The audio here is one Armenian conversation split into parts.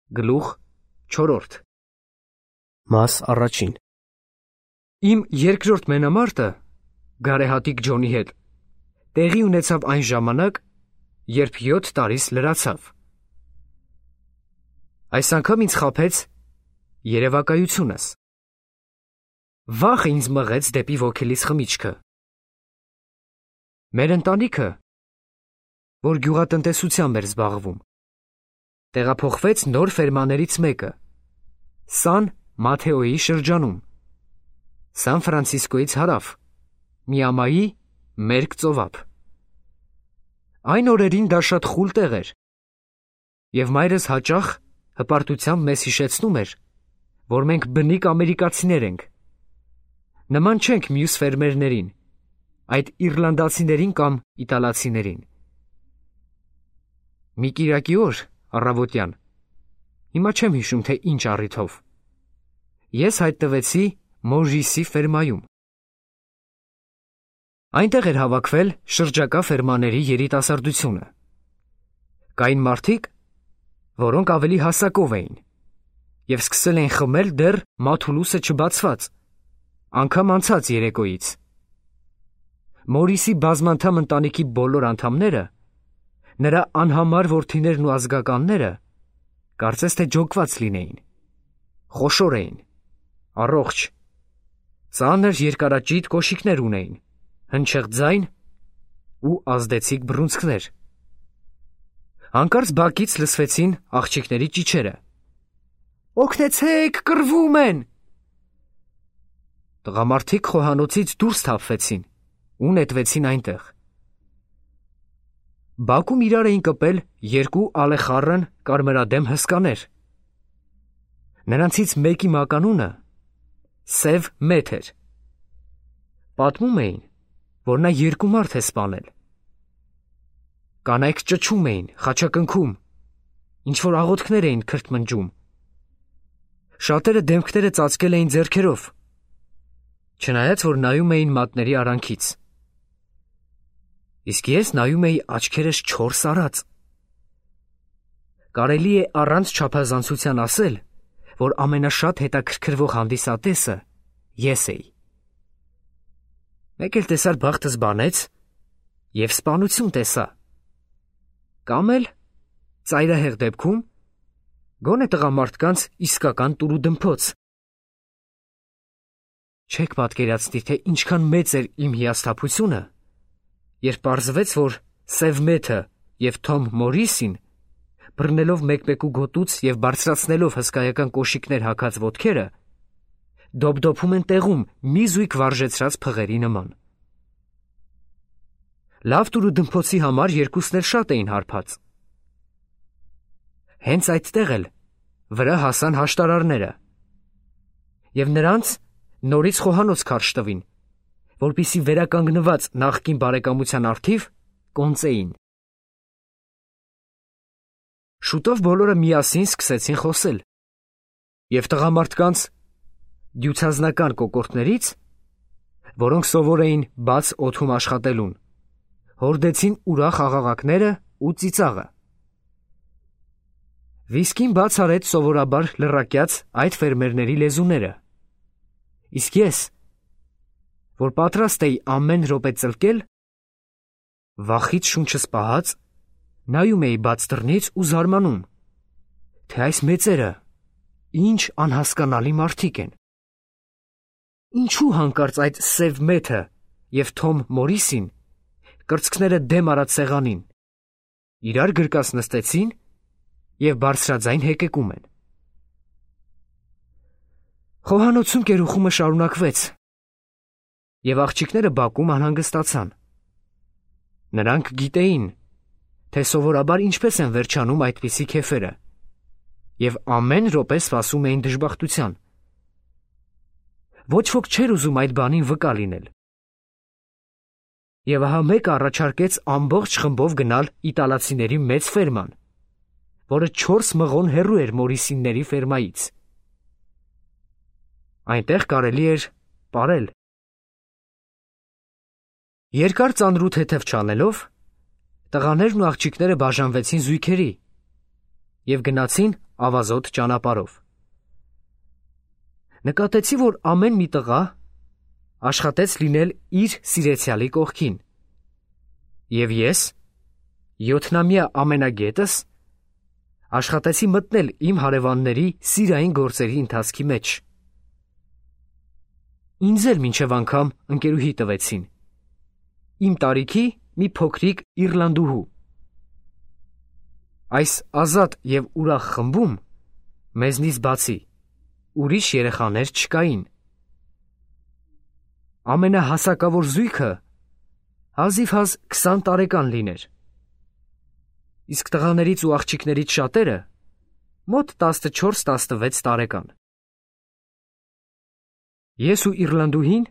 Գլուխ 4 Մաս առաջին Իմ երկրորդ մենամարտը գարեհատիկ Ջոնի հետ տեղի ունեցավ այն ժամանակ, երբ 7 տարիս լրացավ։ Այս անգամ ինձ խաբեց երևակայությունս։ Վախը ինձ մղեց դեպի ոգելից խմիչքը։ Մեր ընտանիքը, որ գյուղատնտեսությամբ էր զբաղվում, տեղափոխվեց նոր ֆերմաներից մեկը, Սան Մաթեոյի շրջանում, Սան Ֆրանցիսկոյից հարավ, Միամայի մերկ ծովափ։ Այն օրերին դա շատ խուլ տեղ էր, և մայրս հաճախ հպարտությամբ մեզ հիշեցնում էր, որ մենք բնիկ ամերիկացիներ ենք, նման չենք մյուս ֆերմերներին, այդ իռլանդացիներին կամ իտալացիներին։ Մի կիրակի օր, առավոտյան, հիմա չեմ հիշում, թե ինչ առիթով, ես հայտնվեցի Մոժիսի ֆերմայում։ Այնտեղ էր հավաքվել շրջակա ֆերմաների երիտասարդությունը։ Կային մարդիկ, որոնք ավելի հասակով էին, և սկսել էին խմել դեռ մաթուլուսը չբացված, անգամ անցած երեկոյից։ Մորիսի բազմանդամ ընտանիքի բոլոր անդամները, նրա անհամար որդիներն ու ազգականները, կարծես թե ջոկված լինեին, խոշոր էին, առողջ, ծանր երկարաճիտ կոշիկներ ունեին, հնչեղ ձայն ու ազդեցիկ բռունցքներ։ Հանկարծ բակից լսվեցին աղջիկների ճիչերը. «Օգնեցեք, կռվում են»։ Տղամարդիկ խոհանոցից դուրս թափվեցին ու նետվեցին այնտեղ։ Բակում իրար էին կպել երկու ալեխառն կարմրադեմ հսկաներ։ Նրանցից մեկի մականունը Սև Մեթ էր։ Պատմում էին, որ նա 2 մարդ է սպանել։ Կանայք ճչում էին, խաչակնքում, ինչ-որ աղոթքներ էին քրթմնջում։ Շատերը դեմքները ծածկել էին ձեռքերով, չնայած որ նայում էին մատների արանքից։ Իսկ ես նայում էի աչքերս 4 արած։ Կարելի է առանց չափազանցության ասել, որ ամենաշատ հետաքրքրվող հանդիսատեսը ես էի։ Մեկ էլ տեսար բախտս բանեց և սպանություն տեսա։ Կամ էլ, ծայրահեղ դեպքում, գոնե տղամարդկանց իսկական տուրուդմփոց։ Չեք պատկերացնի, թե ինչքան մեծ էր իմ հիասթափությունը, երբ պարզվեց, որ Սև Մեթը և Թոմ Մորիսին, բռնելով մեկմեկու գոտուց և բարձրացնելով հսկայական կոշիկներ հագած ոտքերը, դոպդոփում են տեղում մի զույգ վարժեցրած փղերի նման։ Լավ տուրուդմփոցի համար երկուսն էլ շատ էին հարբած։ Հենց այդտեղ էլ վրա հասան հաշտարարները, և նրանց նորից խոհանոց քարշ տվին, որպեսզի վերականգնված նախկին բարեկամության առթիվ կոնծեին։ Շուտով բոլորը միասին սկսեցին խոսել, և տղամարդկանց դյուցազնական կոկորդներից, որոնք սովոր էին բաց օդում աշխատելուն, հորդեցին ուրախ աղաղակները ու ծիծաղը։ Վիսկին բաց արեց սովորաբար լռակյաց այդ ֆերմերների լեզուները, իսկ ես, որ պատրաստ էի ամեն րոպե ծլկել, վախից շունչս պահած, նայում էի բաց դռնից ու զարմանում, թե այս մեծերը ինչ անհասկանալի մարդիկ են։ Ինչու հանկարծ այդ Սև Մեթը և Թոմ Մորիսին, կրծքները դեմ արած սեղանին, իրար գրկած նստեցին և բարձրաձայն հեկեկում են։ Խոհանոցում կերուխումը շարունակվեց, և աղջիկները բակում անհանգստացան։ Նրանք գիտեին, թե սովորաբար ինչպես են վերջանում այդպիսի քեֆերը, և ամեն րոպե սպասում էին դժբախտության։ Ոչ ոք չէր ուզում այդ բանին վկա լինել։ Եվ ահա մեկը առաջարկեց ամբողջ խմբով գնալ իտալացիների մեծ ֆերման, որը 4 մղոն հեռու էր Մորիսինների ֆերմայից։ Այնտեղ կարելի էր պարել։ Երկար ծանրութեթև չանելով, տղաներն ու աղջիկները բաժանվեցին զույգերի, և գնացին ավազոտ ճանապարհով։ Նկատեցի, որ ամեն մի տղա աշխատեց լինել իր սիրեցյալի կողքին, և ես, 7-ամյա ամենագետս, աշխատեցի մտնել իմ հարևանների սիրային գործերի ընթացքի մեջ։ Ինձ էլ մինչև անգամ ընկերուհի տվեցին, իմ տարիքի մի փոքրիկ իռլանդուհու։ Այս ազատ և ուրախ խմբում մեզնից բացի ուրիշ երեխաներ չկային։ Ամենահասակավոր զույգը հազիվհազ 20 տարեկան լիներ, իսկ տղաներից ու աղջիկներից շատերը մոտ 14-16 տարեկան։ Ես ու իռլանդուհին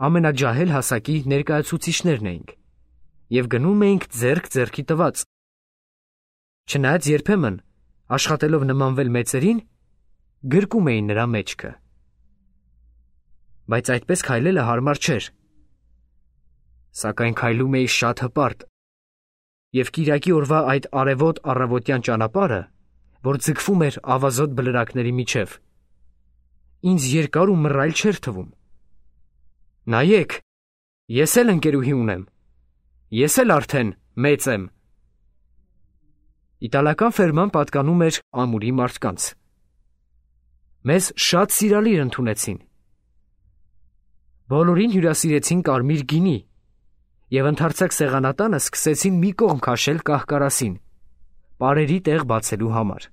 ամենաջահել հասակի ներկայացուցիչներն էինք և գնում էինք ձեռք ձեռքի տված, չնայած երբեմն, աշխատելով նմանվել մեծերին, գրկում էին նրա մեջքը։ Բայց այդպես քայլելը հարմար չէր, սակայն քայլում էի շատ հպարտ, և կիրակի օրվա այդ արևոտ առավոտյան ճանապարհը, որ ձգվում էր ավազոտ բլրակների միջև, ինձ երկար ու մռայլ չէր թվում։ Նայեք, ես էլ ընկերուհի ունեմ, ես էլ արդեն մեծ եմ։ Իտալական ֆերման պատկանում էր ամուրի մարդկանց։ Մեզ շատ սիրալիր ընդունեցին։ Բոլորին հյուրասիրեցին կարմիր գինի և ընդարձակ սեղանատանը սկսեցին մի կողմ քաշել կահ-կարասին, պարերի տեղ բացելու համար։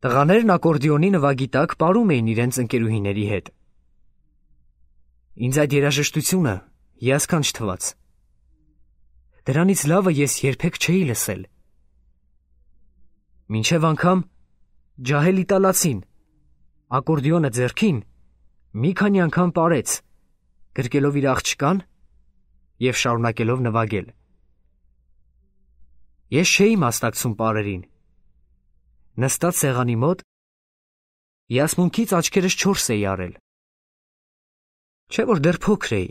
Տղաներն ակորդեոնի նվագի տակ պարում էին իրենց ընկերուհիների հետ։ Ինձ այդ երաժշտությունը հիասքանչ թվաց։ Դրանից լավը ես երբեք չէի լսել։ Մինչև անգամ ջահել իտալացին, ակորդեոնը ձեռքին, մի քանի անգամ պարեց, գրկելով իր աղջկան և շարունակելով նվագել։ Ես չէի մասնակցում պարերին։ Նստած սեղանի մոտ, հիասմունքից աչքերս չորս էի արել։ Չէ՞ որ դեռ փոքր էի,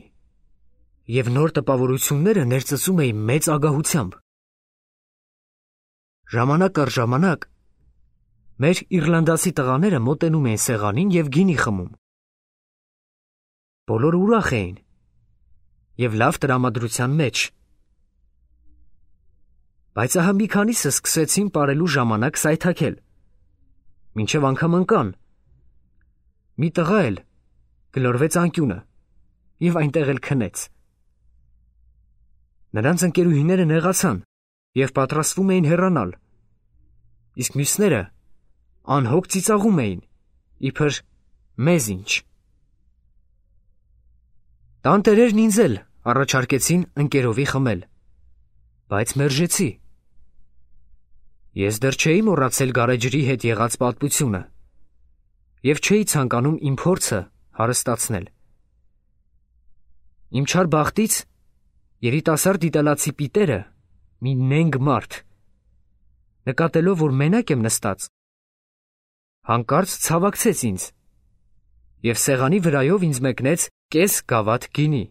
և նոր տպավորությունները ներծծում էի մեծ ագահությամբ։ Ժամանակ առ ժամանակ մեր իռլանդացի տղաները մոտենում էին սեղանին և գինի խմում։ Բոլորը ուրախ էին և լավ տրամադրության մեջ։ Բայց ահա մի քանիսը սկսեցին պարելու ժամանակ սայթաքել, մինչև անգամ ընկան։ Մի տղա էլ գլորվեց անկյունը և այնտեղ էլ քնեց։ Նրանց ընկերուհիները նեղացան և պատրաստվում էին հեռանալ, իսկ մյուսները անհոգ ծիծաղում էին, իբր մեզ ինչ։ Տանտերերն ինձ էլ առաջարկեցին ընկերովի խմել, բայց մերժեցի։ Ես դեռ չէի մոռացել գարեջրի հետ եղած պատմությունը և չէի ցանկանում իմ փորձը հարստացնել։ Իմ չար բախտից երիտասարդ իտալացի պիտերը, մի նենգ մարդ, նկատելով, որ մենակ եմ նստած, հանկարծ ցավակցեց ինձ և սեղանի վրայով ինձ մեկնեց կես գավաթ գինի։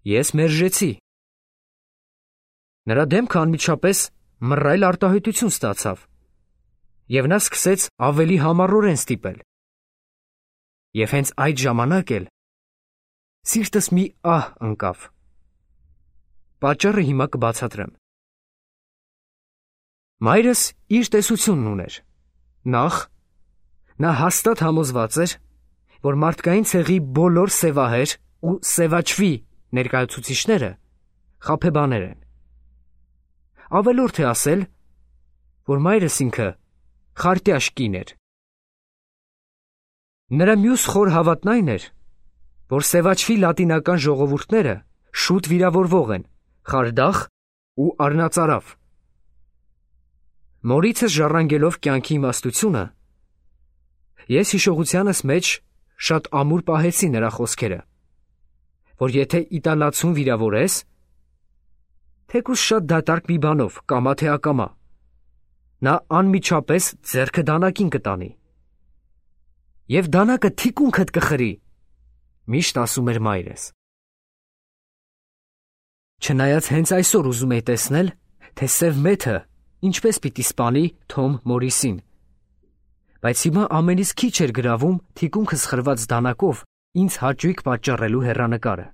Ես մերժեցի։ Նրա դեմքը անմիջապես մռայլ արտահայտություն ստացավ, և նա սկսեց ավելի համառորեն ստիպել։ Եվ հենց այդ ժամանակ էլ սիրտս մի ահ ընկավ։ Պատճառը հիմա կբացատրեմ։ Մայրս իր տեսությունն ուներ։ Նախ, նա հաստատ համոզված էր, որ մարդկային ցեղի բոլոր սևահեր ու սևաչվի ներկայացուցիչները խաբեբաներ են։ Ավելորդ է ասել, որ մայրս ինքը խարտյաշ կին էր։ Նրա մյուս խոր հավատն այն էր, որ սևաչվի լատինական ժողովուրդները շուտ վիրավորվող են, խարդախ ու առնածարավ։ Մորիցս ժառանգելով կյանքի իմաստությունը, ես հիշողությանս մեջ շատ ամուր պահեցի նրա խոսքերը, որ եթե իտալացուն վիրավորես, թեկուզ շատ դատարկ մի բանով, կամա թե ակամա, նա անմիջապես ձեռքը դանակին կտանի։ Եվ դանակը թիկունքդ կխրի, միշտ ասում էր մայրս։ Չնայած հենց այսօր ուզում էի տեսնել, թե սև մեթը ինչպես պիտի սպանի Թոմ Մորիսին, բայց հիմա ամենից քիչ էր գրավում թիկունքս խրված դանակով ինձ հաճույք պատճառելու հեռանկարը։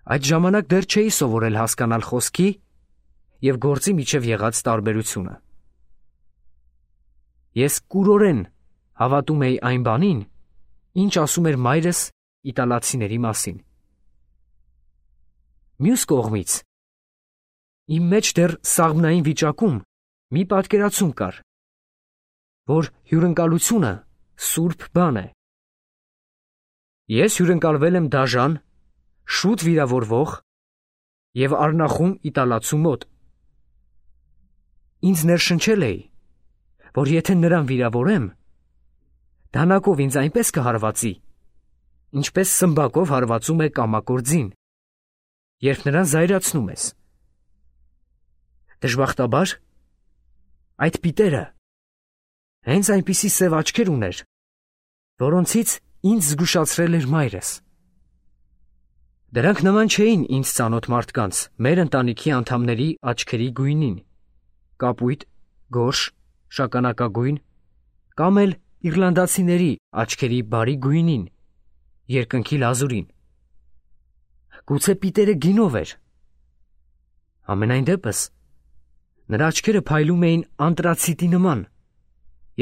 Այդ ժամանակ դեռ չէի սովորել հասկանալ խոսքի և գործի միջև եղած տարբերությունը։ Ես կուրորեն հավատում էի այն բանին, ինչ ասում էր մայրս իտալացիների մասին։ Մյուս կողմից, իմ մեջ դեռ սաղմնային վիճակում մի պատկերացում կար, որ հյուրընկալությունը սուրբ բան է։ Ես հյուրընկալվել եմ դաժան, շուտ վիրավորվող և արնախում իտալացու մոտ։ Ինձ ներշնչել էի, որ եթե նրան վիրավորեմ, դանակով ինձ այնպես կհարվածի, ինչպես սմբակով հարվածում է կամակոր ձին, երբ նրան զայրացնում ես։ Դժբախտաբար, այդ պիտերը հենց այնպիսի սև աչքեր ուներ, որոնցից ինձ զգուշացրել էր մայրս։ Դրանք նման չէին ինձ ծանոթ մարդկանց, մեր ընտանիքի անդամների աչքերի գույնին, կապույտ, գորշ, շագանակագույն, կամ էլ իռլանդացիների աչքերի բարի գույնին, երկնքի լազուրին։ Գուցե պիտերը գինով էր։ Համենայն դեպս, նրա աչքերը փայլում էին անտրացիտի նման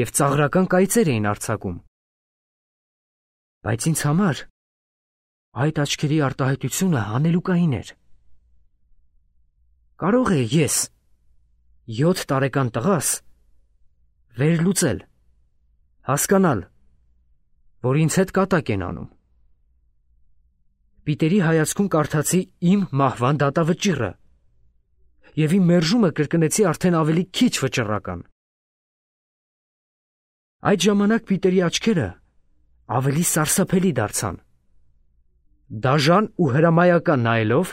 և ծաղրական կայծեր էին արձակում։ Բայց ինձ համար այդ աչքերի արտահայտությունը հանելուկային էր։ Կարող է ես, 7 տարեկան տղաս, վերլուծել, հասկանալ, որ ինձ հետ կատակ են անում։ Պիտերի հայացքում կարդացի իմ մահվան դատավճիռը և իմ մերժումը կրկնեցի արդեն ավելի քիչ վճռական։ Այդ ժամանակ Պիտերի աչքերը ավելի սարսափելի դարձան։ Դաժան ու հրամայական նայելով,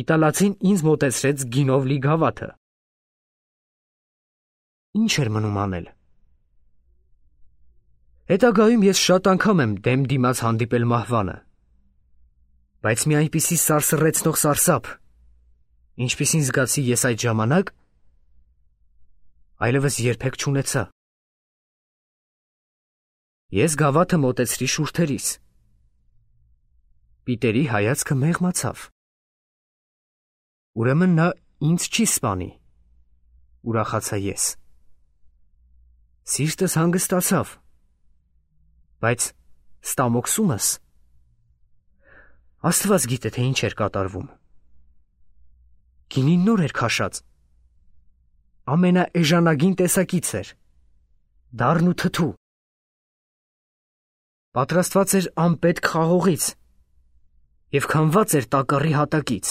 իտալացին ինձ մոտեցրեց գինով լի գավաթը։ Ինչ էր մնում անել։ Հետագայում ես շատ անգամ եմ դեմ դիմաց հանդիպել մահվանը, բայց մի այնպիսի սարսռեցնող սարսափ, ինչպիսին զգացի ես այդ ժամանակ, այլևս երբեք չունեցա։ Ես գավաթը մոտեցրի շուրթերիս։ Պիտերի հայացքը մեղմացավ։ Ուրեմն նա ինձ չի սպանի, ուրախացա ես։ Սիրտս հանգստացավ, բայց ստամոքսումս Աստված գիտե, թե ինչ էր կատարվում։ Գինին նոր էր քաշած, ամենաէժանագին տեսակից էր, դառն ու թթու։ Պատրաստված էր անպետք խաղողից և քամված էր տակառի հատակից։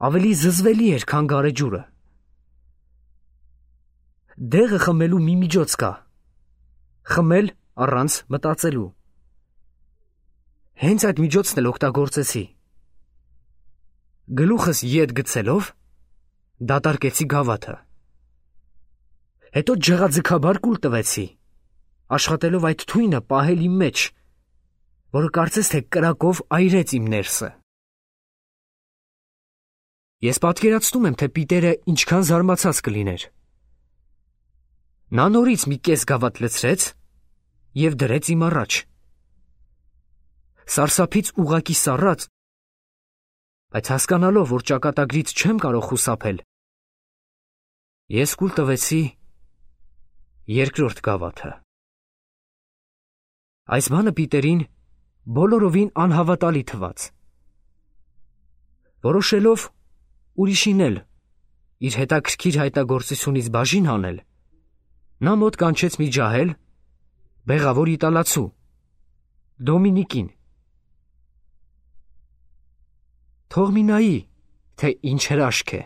Ավելի զզվելի էր, քան գարեջուրը։ Դեղը խմելու մի միջոց կա, խմել առանց մտածելու։ Հենց այդ միջոցն էլ օգտագործեցի։ Գլուխս ետ գցելով, դատարկեցի գավաթը։ Հետո ջղաձգաբար կուլ տվեցի, աշխատելով այդ թույնը պահել իմ մեջ, որը կարծես թե կրակով այրեց իմ ներսը։ Ես պատկերացնում եմ, թե Պիտերը ինչքան զարմացած կլիներ։ Նա նորից մի կես գավաթ լցրեց և դրեց իմ առաջ։ Սարսափից ուղղակի սառած, բայց հասկանալով, որ ճակատագրից չեմ կարող խուսափել, ես կուլ տվեցի երկրորդ գավաթը։ Այս բանը Պիտերին բոլորովին անհավատալի թվաց։ Որոշելով ուրիշին էլ իր հետաքրքիր հայտագործությունից բաժին հանել, նա մոտ կանչեց մի ջահել, բեղավոր իտալացու, Դոմինիկին։ Թող մի նայի, թե ինչ հրաշք է։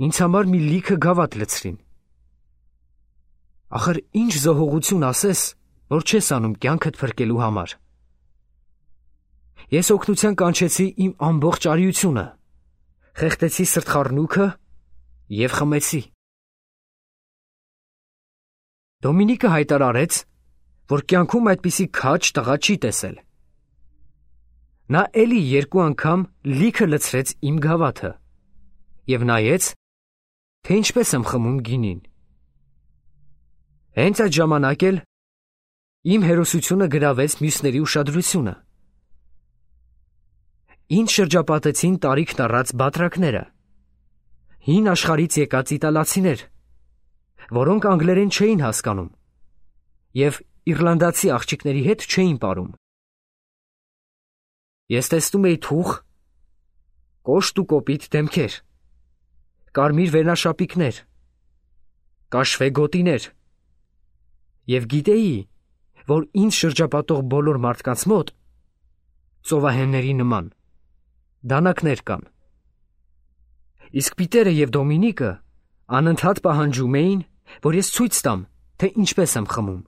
Ինձ համար մի լիքը գավաթ լցրին։ Ախր ինչ զոհողություն ասես, որ չես անում կյանքդ փրկելու համար։ Ես օգնության կանչեցի իմ ամբողջ արիությունը, խեղդեցի սրտխառնուքը և խմեցի։ Դոմինիկը հայտարարեց, որ կյանքում այդպիսի քաջ տղա չի տեսել։ Նա էլի երկու անգամ լիքը լցրեց իմ գավաթը և նայեց, թե ինչպես եմ խմում գինին։ Հենց այդ ժամանակ էլ իմ հերոսությունը գրավեց մյուսների ուշադրությունը։ Ինձ շրջապատեցին տարիքն առած բատրակները, հին աշխարհից եկած իտալացիներ, որոնք անգլերեն չէին հասկանում և իռլանդացի աղջիկների հետ չէին պարում։ Ես տեսնում էի թուխ, կոշտ ու կոպիտ դեմքեր, կարմիր վերնաշապիկներ, կաշվե գոտիներ և գիտեի, որ ինձ շրջապատող բոլոր մարդկանց մոտ ծովահենների նման դանակներ կան։ Իսկ Պիտերը և Դոմինիկը անընդհատ պահանջում էին, որ ես ցույց տամ, թե ինչպես եմ խմում։